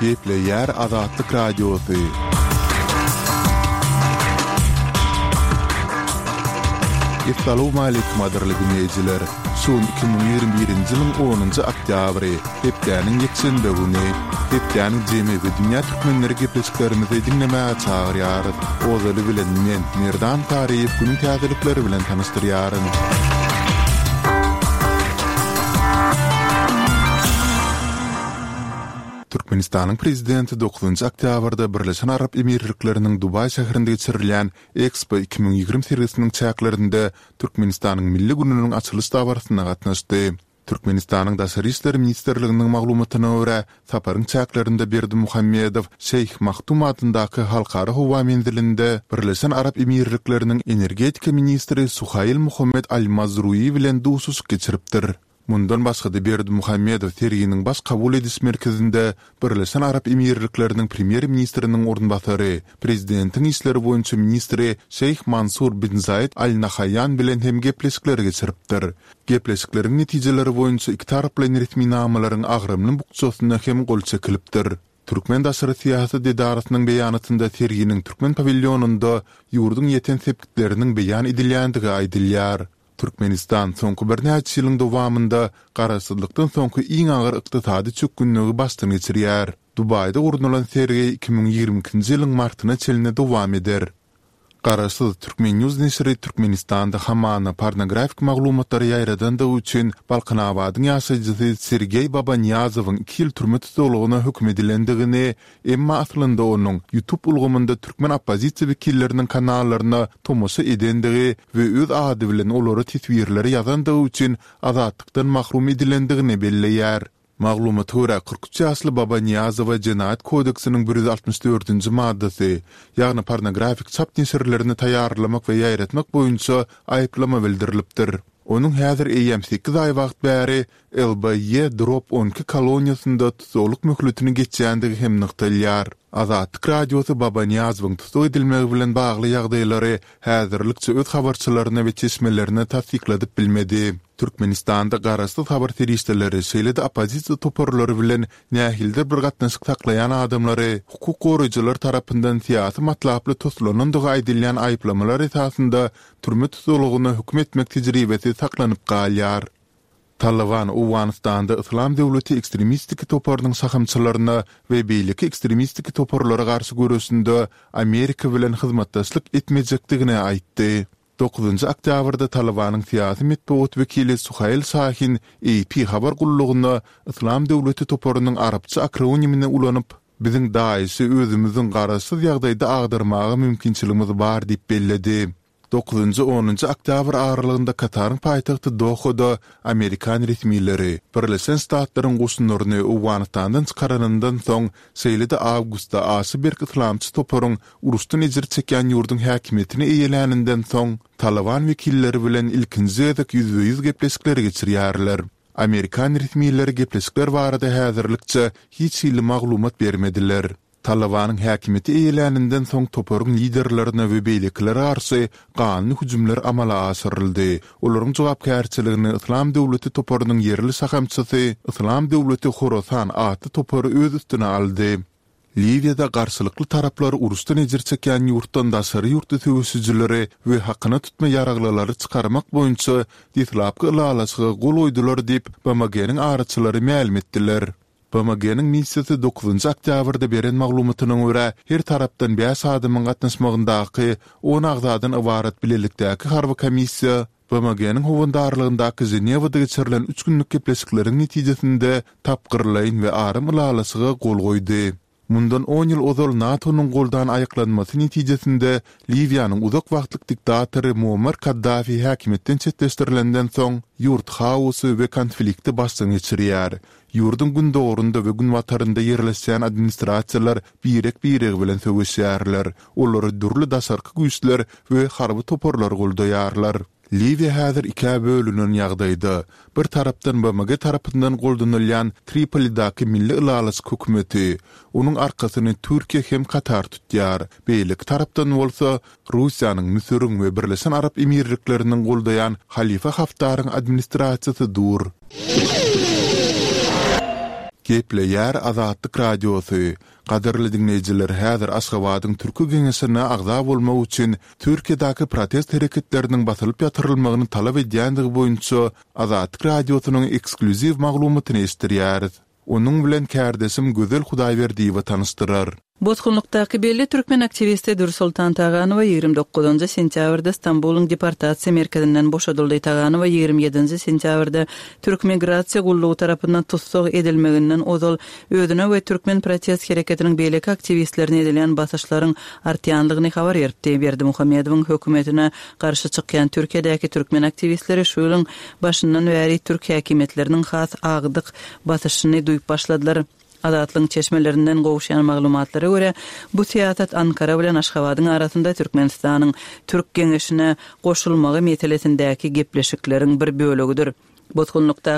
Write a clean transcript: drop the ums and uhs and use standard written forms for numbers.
Gepleýär Azatlyk Radiosy. Essalawmaleýkim gadyrly diňleýjiler! Şu gün 2021-nji ýylyň onunjy oktýabry, hepdäniň ýekşenbe güni. Hepdäniň jemi we dünýä türkmenleri gepleşiklerimizi diňlemäge çagyrýarys. Ozaly bilen men, Merdan Saryýew günüň täzelikleri bilen tanyşdyrýaryn. Türkmenistanyň Prezidenti dokuzynjy oktýabrda Birleşen Arap Emirlikleriniň Dubaý şäherinde geçirilýän Expo 2020 sergisiniň çäklerinde Türkmenistanyň Milli gününiň açylyş dabarasyna gatnaşdy. Türkmenistanyň Daşary işler ministrliginiň maglumatyna görä, saparyň çäklerinde Berdimuhamedow Şeýh Maktum adyndaky Halkara howa menzilinde Birleşen Arap Emirlikleriniň energetika ministri Suhail Muhammed Al Mazrui bilen duşuşyk geçiripdir. Mundan başga-da Berdimuhamedow serginiň baş kabul ediş merkezinde Birleşen Arap Emirlikleriniň Premýer-ministriniň orunbasary, Prezidentiň işleri boýunça ministri Şeýh Mansur bin Zaýed Al Nahaýýan bilen hem gepleşikler geçiripdir. Gepleşikleriň netijeleri boýunça ikitaraplaýyn resminamalaryň agramly bukjasyna hem gol çekilipdir. Türkmen daşary syýasat edarasynyň beýanatynda serginiň türkmen pawilýonynda ýurduň ýeten sepgitleriniň beýan edilýändigi aýdylýar. Türkmenistan soňky birnäçe ýylyň dowamynda garaşsyzlykdan soňky iň agyr ykdysady çökgünligi başdan geçirýär. Dubaýda gurnalan sergi 2022-nji ýylyň martyna çenli dowam eder. Garaşsyz Turkmen. News neşiri Türkmenistanda hamana pornografik maglumatlary ýaýradandygy üçin Balkanabadyň ýaşaýjysy Sergeý Babanyýazowyň iki ýyl türme tussaglygyna höküm edilendigini, emma aslynda onuň YouTube ulgamynda türkmen oppozisiýa wekilleriniň kanallaryna tomaşa edendigi we öz ady bilen olara teswirleri ýazandygy üçin azatlykdan mahrum edilendigini belleýär. Maglumata görä, 43 ýaşly Babanyýazowa Jenaýat kodeksiniň 164-nji maddasy, ýagny pornografik çap neşirlerini taýýarlamak we ýaýratmak boýunça aýyplama bildirilipdir. Onuň häzir eýýäm sekiz aý wagt bäri LBY drop 12 koloniýasynda tussaglyk möhletini geçýändigi hem nygtalýar. Azatlyk Radiosy Babanyýazowyň tussag edilmegi bilen bagly ýagdaýlary häzirlikçe öz habarçylaryna we çeşmelerine tassykladyp bilmedi. Türkmenistanda garaşsyz habar serişdeleri, şeýle-de oppozisiýa toparlary bilen nähilidir bir gatnaşyk saklaýan adamlary hukuk goraýjylar tarapyndan syýasy matlaply toslanandygy aýdylýan aýyplamalar esasynda türme tussaglygyna höküm etmek tejribesi saklanyp galýar. Talyban Owganystanda Yslam döwleti ekstremistiki toparynyň şahamçalaryna we beýleki ekstremistiki toparlara garşy göreşinde Amerika bilen hyzmatdaşlyk etmejekdigini aýtdy. Dokuzynjy oktýabrda Talybanyň syýasy metbugat wekili Suhail Şahin AP habar gullugyna Yslam döwleti toparynyň arapça akronimini ulanyp, Biziň DAIŞ-i özümiziň garaşsyz ýagdaýda agdarmaga mümkinçiligimiz bar diýip belledi. Dokuzynjy-onunjy oktýabr aralygynda Kataryň paýtagty Dohada amerikan resmileri Birleşen Ştatlaryň goşunlaryny Owganystandan çykaranyndan soň, şeýle-de awgustda aşa berk yslamçy toparyň uruşdan ejir çekýän ýurduň häkimiýetini eýeläninden soň, Talyban wekilleri bilen ilkinji gezek ýüzbe-ýüz gepleşikleri geçirýärler. Amerikan resmileri gepleşikler barada häzirlikçe hiç hili maglumat bermediler. Talybanyň häkimiýeti eýeläninden soň toparyň liderlerine we beýlekilere garşy ganly hüjümler amala aşyryldy. Olaryň jogapkärçiligini Yslam döwleti toparynyň ýerli şahamçasy Yslam döwleti Horasan atly topary öz üstüne aldy. Liwiýada garşylykly taraplar uruşdan ejir çekýän ýurtdan daşary ýurtly söweşijileri we hakyna tutma ýaraglylary çykarmak boýunça deslapky ylalaşyga gol goýdular diýip, BMG-niň araçylary mälim etdiler. BMG-niň missiýasy dokuzynjy oktýabrda beren maglumatyna görä, her tarapdan bäş adamyň gatnaşmagyndaky on agzadan ybarat bilelikdäki harby komissiýa BMG-niň howandarlygyndaky Ženewada geçirilen üç günlük gepleşikleriň netijesinde tapgyrlaýyn we aram ylalaşyga gol goýdy. Mundan on ýyl ozal NATO-nyň goldan aýaklanmasy netijesinde Liwiýanyň uzak wagtlyk diktatory Muammar Kaddafi häkimiýetden çetleşdirilenden soň, ýurt haosy we konflikti başdan geçirýär. Ýurduň gündogarynda we günbatarynda ýerleşýän administrasiýalar birek-biregi bilen söweşýärler, olary dürli daşarky güýçler we harby toparlar goldaýarlar. Liwiýa häzir ikä bölünen ýagdaýda. Bir tarapdan BMG tarapyndan goldanylýan Tripolidäki Milli ylalaşyk hökümeti, onuň arkasyny Türkiýe hem Katar tutýar, beýleki tarapdan bolsa Russiýanyň, Müsüriň we Birleşen Arap Emirlikleriniň goldaýan Halifa Haftaryň administrasiýasy dur. Gepleýär Azatlyk Radiosy, Gadyrly diňleýjiler häzir Aşgabadyň Türki Geňeşine agza bolmak üçin Türkiýedäki protest hereketleriniň basylyp ýatyrylmagyny talap edýändigi boýunça Azatlyk Radiosynyň eksklýuziw maglumatyny eşitdirýäris. Onuň bilen kärdeşim Gözel Hudaýberdiýewa tanyşdyrar. Bosgunlykdaky belli türkmen aktiwisti Dürsoltan Taganowa 29 sentýabrda Stambulyň deportasiýa merkezinden boşadyldy. Taganowa 27 sentýabrda Türk migrasiýa gullugy tarapyndan tussag edilmeginden ozal özüne we türkmen protest hereketiniň beýleki aktiwistlerine edilýän basyşlaryň artýandygyny habar beripdi. Berdimuhamedowyň hökümetine garşy çykýan Türkiýedäki türkmen aktiwistleri şu ýylyň başyndan bäri türk häkimiýetleriniň has agdyk basyşyny duýup başladylar. Azatlygyň çeşmelerinden gowuşýan maglumatlara görä, bu syýasat Ankara bilen Aşgabadyň arasynda Türkmenistanyň Türk Geňeşine goşulmagy meselesindäki gepleşikleriň bir bölegidir. Bosgunlykdaky.